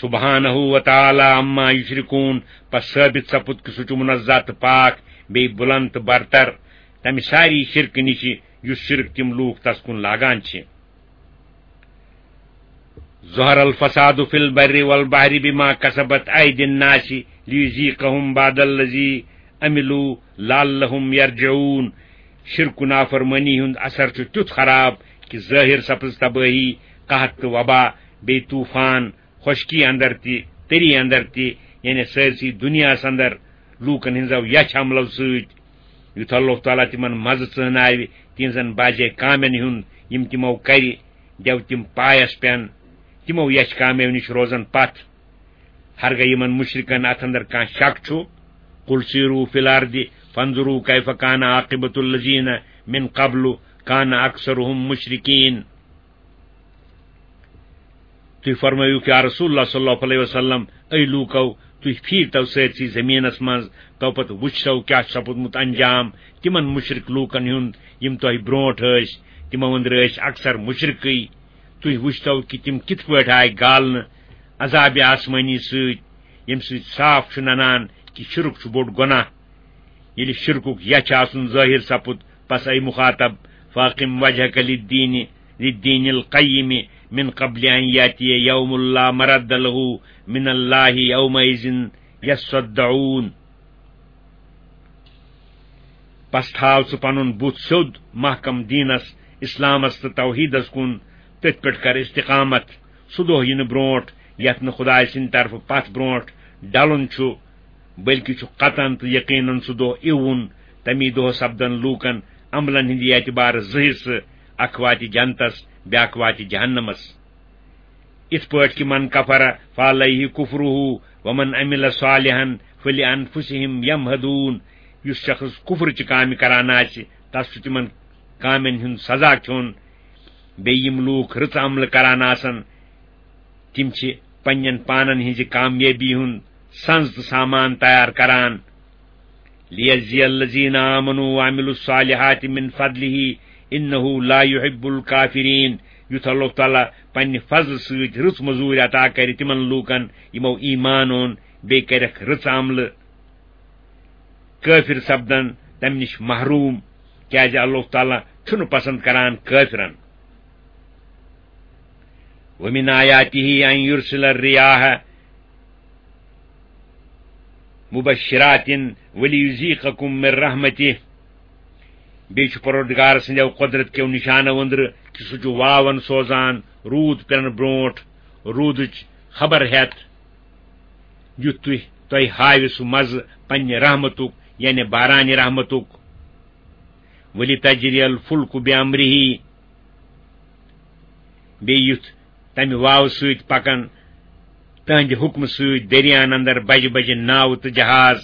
سبحانہ و تعالی عما یشرکون۔ پس ثٲبت سپُد کہِ سُہ چھُ منزہ تہٕ پاک، بیٚیہِ بُلند تہٕ برتر تمہِ ساری شرکہٕ نِشہِ، یُس شرک تِم لوٗکھ تس کُن لاگان چھِ۔ ظہر الفساد فی البر والبحر بما کسبت ایدی الناس لیذیقہم بعض الذی عملوا لعلہم یرجعون۔ شرک و نافرمٲنی ہُنٛد اثر چھُ تیُتھ خراب کہِ ظٲہِر سپٕز تبٲہی، قحط تہٕ وبا، بیٚیہِ طوفان، خۄشکی اندر تہِ، تٔری اندر تہِ، یعنی سٲرسٕے دُنیاہس اندر لوٗکن ہٕنٛزو یچھ عملو سۭتۍ۔ یُتھ اللہ تعالیٰ تِمن مزٕ ژٲناوِ تِہنٛزن بعضے کامٮ۪ن ہُنٛد، یِم تِمو کرِ، دیو تِم پایس پٮ۪ن، تِمو یچھ کامیو نِش روزن پتھ۔ ہرگاہ یِمن مشرکن اتھ اندر کانٛہہ شک چھُ، قل سیروا فی الارض فانظروا کیف کان عاقبۃ الذین من قبل کان اکثرہم مشرکین۔ تُہۍ فرمٲیِو، یا رسول اللہ صلی اللہ علیہ وسلم، اے لوٗکو، تُہۍ پھیٖرتو سٲرسٕے زٔمیٖنس منٛز، تو پتہٕ وٕچھتو کیٛاہ چھُ سپُدمُت انجام تِمن مُشرِک لوٗکن ہُنٛد، یِم تۄہہِ برٛونٛٹھ ٲسۍ، تِمو أنٛدرٕ ٲسۍ اکثر مُشرِکٕے۔ تُہۍ وٕچھتو کہِ تِم کِتھ پٲٹھۍ آے گالنہٕ عذابِ آسمٲنی سۭتۍ، ییٚمہِ سۭتۍ صاف چھُ ننان کہِ شِرک چھُ بوٚڑ گۄناہ۔ ییٚلہِ شِرکُک یَچھ آسُن ظٲہِر سپُد، پس اے مُخاطب، فاقم وجہک للدین، للدین القیم، من قبل ان یاتی یوم لا مرد لہ من اللہ یومئذ یصدعون۔ پس تھاو ژٕ پنُن بُتھ سیوٚد محکم دینس، اسلامس تہٕ توحیدس کُن، تٔتھۍ پٮ۪ٹھ کر استقامت۔ سُہ دۄہ یِنہٕ برونٹھ یتھ نہٕ خدایہِ سٕنٛدِ طرفہٕ پتھ برونٹھ ڈلُن چھُ، بلکہِ چھُ قطعاً تہٕ یقیناً سُہ دۄہ یِوُن۔ تمی دۄہ سپدن لوٗکن عملن ہٕنٛدِ اعتبارٕ زٕ حصہٕ، اکھ واتہِ جنتس، بیاکھ واتہِ جہنمس۔ یِتھ پٲٹھۍ کہِ من کفر فعلیہ کفرہ ومن عمل صالحا فلانفسہم یمہدون۔ یُس شخص کفر چہِ کامہِ کران آسہِ، تس چھُ تِمن کامٮ۪ن ہُنٛد سزا کھیوٚن۔ بیٚیہِ یِم لوٗکھ رٕژ عملہٕ کران آسن، تِم چھِ پننٮ۪ن پانن ہٕنٛزِ کامیٲبی ہُنٛد سنز تہٕ سامان تیار کران۔ لیجزی الذین آمنوا وعملوا الصالحات من فضلہ انہ لا یحب الکافرین۔ یُتھ اللہ تعالیٰ پننہِ فضلہٕ سۭتۍ رٕژ مٔزوٗرۍ عطا کرِ تِمن لوٗکن، یِمو ایمان اوٚن، بیٚیہِ کرکھ رٕژ عملہٕ۔ کٲفِر سپدن تمہِ نِش محروٗم، کیازِ اللہ تعالیٰ چھُنہٕ پسند کران کٲفرن۔ وَمِنْ آيَاتِهِ أَنْ يُرْسِلَ الرِّيَاحَ مُبَشِّرَاتٍ وَلِيُذِيقَكُمْ مِنْ رَحْمَتِهِ۔ بیٚیہِ چھُ پروردگار سٕنٛدیو قۄدرت کیو نِشانو أنٛدرٕ کہِ سُہ چھُ واون سوزان روٗد پٮ۪نہٕ برونٛٹھ روٗدٕچ خبر ہٮ۪تھ، یُتھ تُہۍ، تۄہہِ ہاوِ سُہ مزٕ پننہِ رحمتُک، یعنی بارانہِ رحمتُک۔ وَلِتَجْرِيَ الْفُلْكُ بِأَمْرِهِ، بیٚیہِ یُتھ تمہِ واوٕ سۭتۍ پکن تہنٛدِ حُکمہٕ سۭتۍ دٔریاہن اندر بجہِ بجہِ ناوٕ تہٕ جہاز۔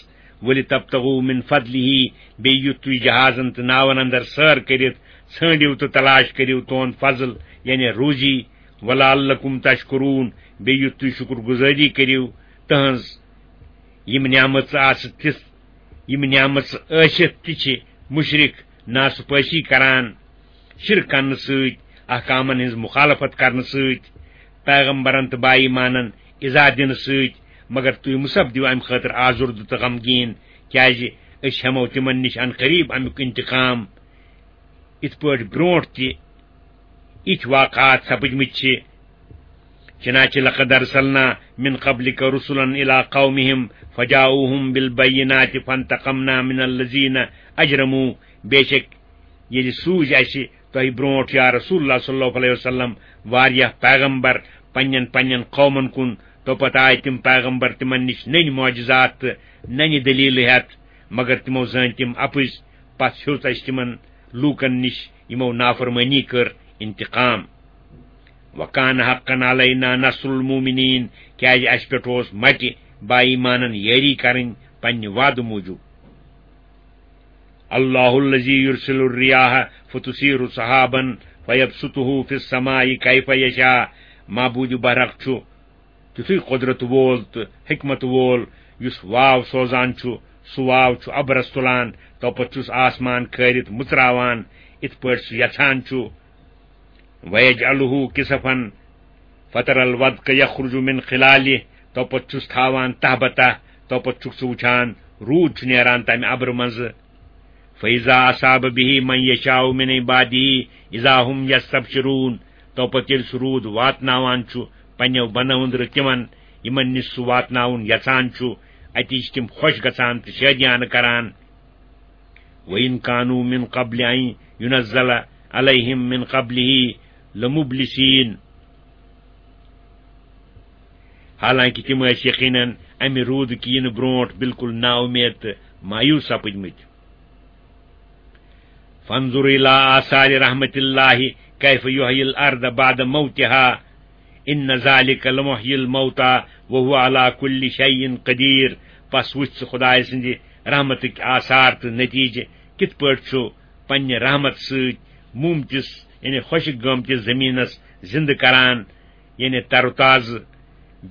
وَلِتَبْتَغُوا مِنْ فَضْلِهِ، بیٚیہِ یُتھ تُہۍ جہازن تہٕ ناون اندر سٲر کٔرِتھ ژھٲنٛڈِو تہٕ تلاش کٔرِو تُہُنٛد فضل، یعنی روزی۔ وَلَعَلَّكُمْ تَشْكُرُونَ، بیٚیہِ یُتھ تُہۍ شُکر گُزٲری کٔرِو تہنٛز۔ یِم نعمژٕ آسہٕ تِژھ، یِم نعمژٕ ٲسِتھ تہِ چھِ مُشرِک ناسپٲسی کران، شرک کرنہٕ سۭتۍ، احکامن ہٕنٛز مخالفت کرنہٕ سۭتۍ، پیغمبرن تہٕ با ایمانن ایذا دِنہٕ سۭتۍ، مگر تُہۍ مُصب دِیِو امہِ خٲطرٕ آزُردٕ تہٕ غمگیٖن، کیازِ أسۍ ہٮ۪مو تِمن نِش عن قریب امیُک انتقام۔ یِتھ پٲٹھۍ برونٛٹھ تہِ یِتھۍ واقعات سپٕدمٕتۍ چھِ۔ چنانچہ لقد ارسلنا من قبلک رسلا الی قومہم فجاؤہم بالبینات فانتقمنا من الذین اجرموا۔ بے شک ییٚلہِ سوٗزۍ اَسہِ تۄہہِ برونٛٹھ، یا رسول اللہ صلی اللہ علیہ وسلم، واریاہ پیغمبر پننٮ۪ن پننٮ۪ن قومن کُن، تو پتہٕ آے تِم پیغمبر تِمن نِش نٔنۍ معجزات تہٕ ننہِ دلیلہٕ ہٮ۪تھ، مگر تِمو زٲنۍ تِم اپٕز۔ پتہٕ ہیوٚت اَسہِ تِمن لوٗکن نِش یِمو نافرمٲنی کٔر انتقام۔ وکان حقا علینا نصر المومنین، کیازِ اَسہِ پٮ۪ٹھ اوس مٹہِ با ایمانن یٲری کرٕنۍ پننہِ وعدٕ موٗجوٗب۔ اللہ الذی یرسل الریاح فتثیر سحابا فیبسطہ فی السماء کیف یشاء، معبود برحق چھُ تیُتھُے قۄدرت وول تہٕ حکمت وول، یُس واو سوزان چھُ، سُہ واو چھُ ابرس تُلان، تو پتہٕ چھُس آسمان کھٲرِتھ مُژراوان، یِتھ پٲٹھۍ سُہ یژھان چھُ۔ وَيَجْعَلُهُ كِسَفًا فَتَرَى الْوَدْقَ يَخْرُجُ مِنْ خِلَالِهِ، تو پتہٕ چھُس تھاوان تہہ بہ تہہ، تو پتہٕ چھُکھ ژٕ وُچھان روٗد چھُ نیران تَمہِ اَبرٕ منٛزٕ۔ فَإِذَا أَصَابَ بِهِ مَنْ يَشَاءُ مِنْ عِبَادِهِ إِذَا هُمْ يَسْتَبْشِرُونَ، تو پتہٕ ییٚلہِ سُہ روٗد واتناوان چھُ پننیو بندو أنٛدرٕ تِمن، یِمن نِش سُہ واتناوُن یژھان چھُ، اَتی چھِ تِم خۄش گژھان تہٕ شٲدیانہٕ کران۔ وَإِنْ كَانُوا مِنْ قَبْلِ أَنْ يُنَزَّلَ عَلَيْهِمْ مِنْ قَبْلِهِ لَمُبْلِسِينَ۔ حالانکہ تِم ٲسۍ یقیناً امہِ روٗدٕ کہِ یِنہٕ برونٛٹھ بالکل نااُمید تہٕ مایوس سپٕدمٕتۍ۔ فَانْظُرْ إِلَى آثَارِ رَحْمَةِ اللَّهِ كَيْفَ يُحْيِي الْأَرْضَ بَعْدَ مَوْتِهَا إِنَّ ذَلِكَ لَمُحْيِي الْمَوْتَى وَهُوَ عَلَى كُلِّ شَيْءٍ قَدِيرٌ۔ پس وُچھ ژٕ خدایہِ سٕنٛدِ رحمتٕکۍ آثار تہٕ نتیجہٕ کِتھ پٲٹھۍ چھُ پننہِ رحمت سۭتۍ مومتِس، یعنی خۄشک گٲمتِس زمینس زندٕ کران، یعنی تر و تازٕ۔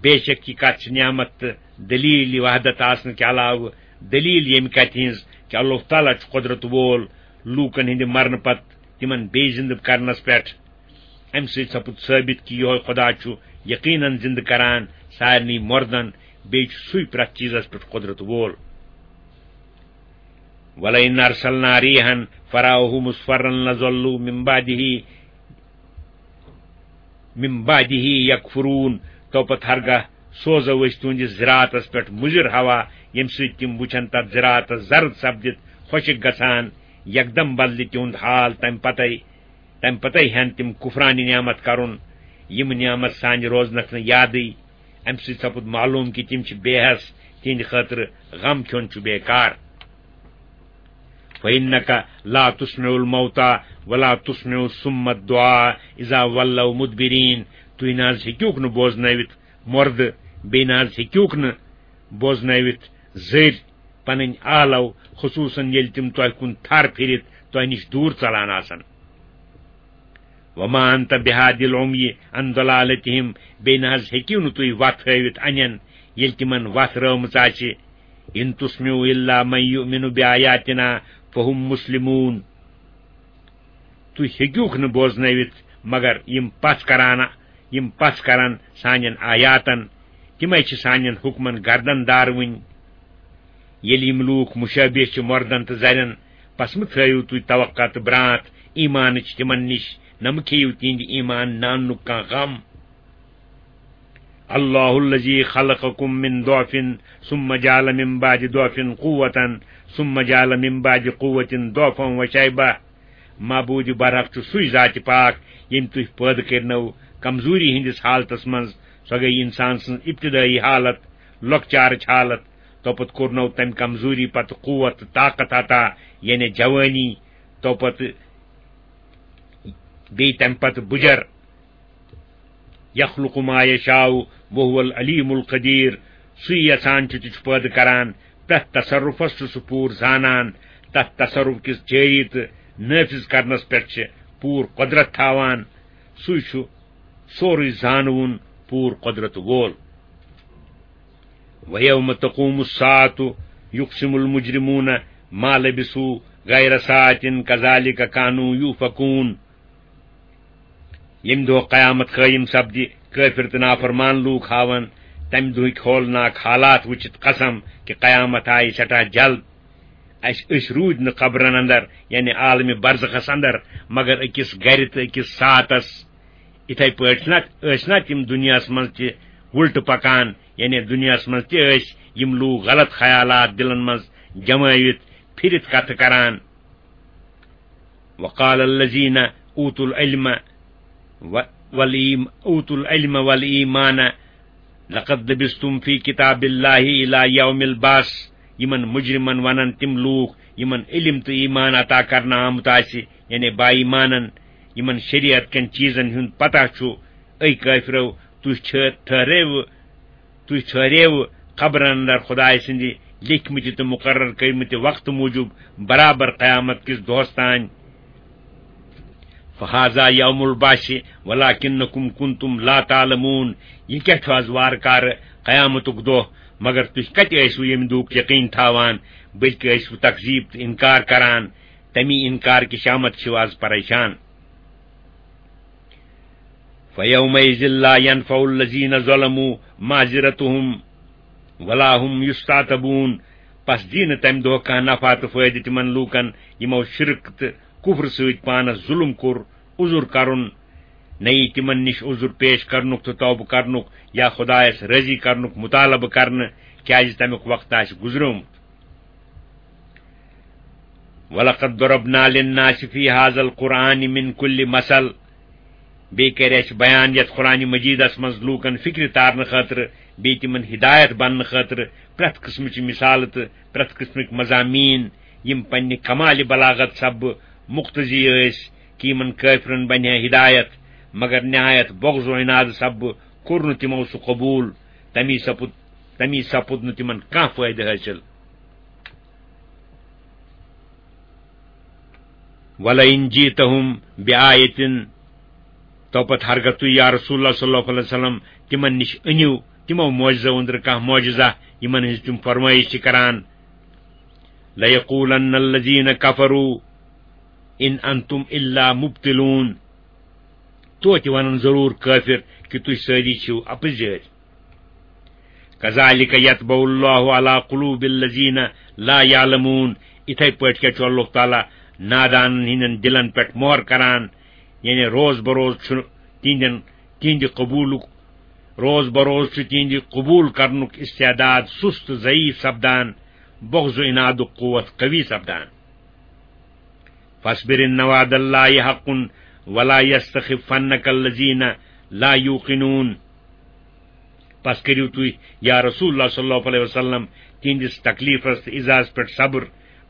بے شک یہِ کتھ چھِ نعمت تہٕ دلیل وحدت آسنہٕ کہِ علاوٕ دلیل ییٚمہِ کتھِ ہٕنٛز کہِ اللہ تعالیٰ چھُ قۄدرت وول لوٗکن ہٕنٛدِ مرنہٕ پتہٕ تِمن بیٚیہِ زندٕ کرنس پٮ۪ٹھ۔ امہِ سۭتۍ سپُد ثٲبت کہِ یِہوے خدا چھُ یقیناً زندٕ کران سارنٕے مردن، بیٚیہِ چھُ سُے پرٛٮ۪تھ چیٖزس پٮ۪ٹھ قۄدرت وول۔ وَلَئِنْ أَرْسَلْنَا رِيحًا فَرَأَوْهُ مُصْفَرًّا لَظَلُّوا مِنْ بَعْدِهِ، مِنْ بَعْدِهِ يَكْفُرُونَ۔ تو پتہٕ ہرگاہ سوزو أسۍ تُہنٛدِس زِراعتس پٮ۪ٹھ مُضِر ہوا، ییٚمہِ سۭتۍ تِم وُچھن تتھ زِراعتس زرد سپدِتھ خۄشک گژھان، یکدم بدلہِ تِہُنٛد حال تمہِ پتے۔ تمہِ پتے ہٮ۪ن تِم کُفرانہِ نعمت کرُن، یِم نعمت سانہِ روزنکھ نہٕ یادٕے۔ امہِ سۭتۍ سپُد معلوم کہِ تِم چھِ بے حس، تِہنٛدِ خٲطرٕ غم کھیوٚن چھُ بیکار۔ فَإِنَّكَ لَا تُسْمِعُ الْمَوْتَى وَلَا تُسْمِعُ الصُّمَّ الدُّعَاءَ إِذَا وَلَّوْا مُدْبِرِينَ۔ تُہۍ نہ حظ ہیٚکِوکھ نہٕ بوزنٲوِتھ مردٕ، بیٚیہِ نہ حظ ہیٚکِوکھ نہٕ بوزنٲوِتھ زٔرۍ پنٕنۍ آلو، خصوٗصاً ییٚلہِ تِم تۄہہِ کُن تھر پھِرِتھ تۄہہِ نِش دوٗر ژلان آسن۔ وَمَا أَنْتَ بِهَادِ الْعُمْيِ عَنْ ضَلَالَتِهِمْ، بیٚیہِ نہ حظ ہیٚکِو نہٕ تُہۍ وَتھ ہٲوِتھ اَنٮ۪ن، ییٚلہِ تِمن وَتھ رٲومٕژ آسہِ۔ إِنْ تُسْمِعُ إِلَّا مَنْ يُؤْمِنُ بِآيَاتِنَا فَهُمْ مُسْلِمُونَ۔ تُہۍ ہیٚکِوکھ نہٕ بوزنٲوِتھ مگر یِم پژھ کران، یِم پژھ کرن سانٮ۪ن آیاتن، تِمے چھِ سانٮ۪ن حُکمن گردن داروٕنۍ۔ ییٚلہِ یِم لوٗکھ مُشٲبِہ چھِ مۄردن تہٕ زرٮ۪ن، پس مہٕ تھٲیِو تُہۍ توقع تہٕ برٛانٛتھ ایٖمانٕچ تِمن نِش، نہ مہٕ کھیٚیِو تِہنٛدِ ایٖمان ناننُک کانٛہہ غم۔ الله الذي خلقكم من ضعف ثم جعل من بعد ضعف قوة ثم جعل من بعد قوة ضعفا وشيبة۔ معبود برحق چھُ سُے ذات پاک، ییٚمۍ تُہۍ پٲدٕ کٔرنو کمزوری ہٕنٛدِس حالتس منٛز۔ سۄ گٔے انسان سٕنٛز ابتدٲیی حالت، لۄکچارٕچ حالت۔ توپتہٕ کوٚرنو تمہِ کمزوری پتہٕ قوت تہٕ طاقت عطا، یعنی جوٲنی۔ توپتہٕ بیٚیہِ تمہِ پتہٕ بُجر۔ يخلق ما يشاء وهو العليم القدير۔ سُے یژھان چھُ تہِ چھُ پٲدٕ کران، پرٛٮ۪تھ تصرفس چھُ سُہ پوٗرٕ زانان، تتھ تصرف کِس جٲری تہٕ نٲفذ کرنس پٮ۪ٹھ چھِ پوٗرٕ قۄدرت تھاوان۔ سُے چھُ سورُے زانوُن، پوٗرٕ قۄدرت وول۔ ويوم تقوم الساعة يقسم المجرمون ما لبثوا غير ساعة كذلك كانوا يؤفكون۔ ییٚمہِ دۄہ قیامت قٲیِم سپدِ، کٲفِر تہٕ نافرمان لوٗکھ ہاوَن تَمہِ دۄہٕکۍ ہولناک حالات وٕچھِتھ قسم کہِ قیامت آیہِ سٮ۪ٹھاہ جلد۔ اَسہِ، أسۍ روٗدۍ نہٕ قبرن اندر، یعنی عالمِ برزخس اندر، مگر أکِس گرِ تہٕ أکِس ساعتس۔ یِتھے پٲٹھۍ چھِنہ، ٲسۍ نہ تِم دُنیاہس منٛز تہِ وُلٹہٕ پکان، یعنی دُنیاہس منٛز تہِ ٲسۍ یِم لوٗکھ غلط خیالات دِلن منٛز جمٲوِتھ پھِرِتھ کتھٕ کران۔ وقال الذين أوتوا العلم و-، والإيم-، أوتوا العلم والإيمان لقد لبثتم في كتاب الله إلى يوم البعث۔ یِمن مجرمن ونن تِم لوٗکھ یِمن علم تہٕ ایمان عطا کرنہٕ آمُت آسہِ، یعنی با ایمانن، یِمن شریعت کٮ۪ن چیٖزن ہُنٛد پتہ چھُ، اے کٲفرو، تُہۍ چھِ ٹھہرٲوٕ تُہۍ ژھٲریوٕ قبرن اندر خدایہِ سٕنٛدِ لیکھمٕتہِ تہٕ مُقرر کٔرمٕتہِ وقتہٕ موٗجوٗب برابر قیامت کِس دۄہس تام۔ فہذا یوم البعث ولکنکم کنتم لا تعلمون۔ یہِ کیٛاہ چھُ از وارٕ کارٕ قیامتُک دۄہ، مگر تُہۍ کتہِ ٲسِو ییٚمہِ دۄہُک یقین تھاوان، بلکہِ ٲسِو تکذیب تہٕ انکار کران۔ تمی انکار کہِ شامت چھِو از پریشان۔ فیومئذ لا ینفع الذین ظلموا معذرتهم ولا هم یستعتبون۔ پس دی نہٕ تمہِ دۄہ کانٛہہ نفع تہٕ فٲیدٕ تِمن لوٗکن، یِمو شرک تہٕ کفر سۭتۍ پانس ظلم کوٚر، عذر کرُن۔ نہ یی تِمن نِش عذر پیش کرنُک تہٕ توبہٕ کرنُک یا خدایس رٲضی کرنُک مطالبہٕ کرنہٕ، کیازِ تمیُک وقت آسہِ گُزریومُت۔ ولقد ضربنا للناس في هذا القرآن من كل مثل۔ بیٚیہِ کرِ اَسہِ بیان یَتھ قرآن مجیدس منٛز لوٗکن فکرِ تارنہٕ خٲطرٕ، بیٚیہِ تِمن ہدایت بننہٕ خٲطرٕ پرٛٮ۪تھ قٕسمٕچہِ مثالہٕ تہٕ پرٛٮ۪تھ قٕسمٕکۍ مضامین، یِم پننہِ کمالِ بلاغت سببہٕ مقتضی ٲسۍ کہِ یِمن کٲفرن بنہِ ہے ہدایت، مگر نہایت بغض و عناد سببہٕ کوٚر نہٕ تِمو سُہ قبول۔ تمی سپُد، تمی سپُد نہٕ تِمن کانٛہہ فٲیدٕ حٲصِل۔ ولئن جئتهم بآية، تو پتہٕ ہرگاہ تُہۍ یا رسول اللہ صلی اللہ علیہ وسلم تِمن نِش أنِو تِمو معجزو أنٛدرٕ کانٛہہ معجزہ یِمن ہٕنٛز تِم فرمٲیش چھِ کران، ليقولن الذين كفروا إن أنتم إلا مبطلون۔ توتہِ ونن ضروٗر کٲفر کہِ تُہۍ سٲری چھِو اپٕزٲرۍ۔ كذلك يطبع الله على قلوب الذين لا يعلمون۔ یِتھے پٲٹھۍ کیٛاہ چھُ اللہ تعالیٰ نادانن ہٕنٛدٮ۪ن دِلن پٮ۪ٹھ مۄہر کران، یعنی روز بروز چھُ تِہنٛدٮ۪ن، تِہنٛدِ قبوٗلُک، روز بروز چھُ تِہنٛدِ قبوٗل کرنُک استعداد سُست تہٕ ضعیف سپدان، بغض و عنادُک قوت قوی سپدان۔ فاصبر إن وعد الله حق ولا يستخفنك الذين لا يوقنون۔ پس کٔرِو تُہۍ، یا رسول اللہ صلی اللہ علیہ وسلم، تِہنٛدِس تکلیفس تہٕ ایذاہس پٮ۪ٹھ صبر۔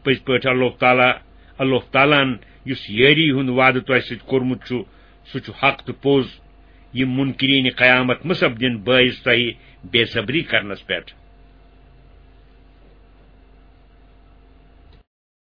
پٔزۍ پٲٹھۍ اللہ تعالیٰ، اللہ تعالیٰ ہن یُس یٲری ہُنٛد وعدٕ تۄہہِ سۭتۍ کوٚرمُت چھُ، سُہ چھُ حق تہٕ پوٚز۔ یِم منکرین قیامت مہ سپدن بٲعث تۄہہِ بے صبری کرنس پٮ۪ٹھ۔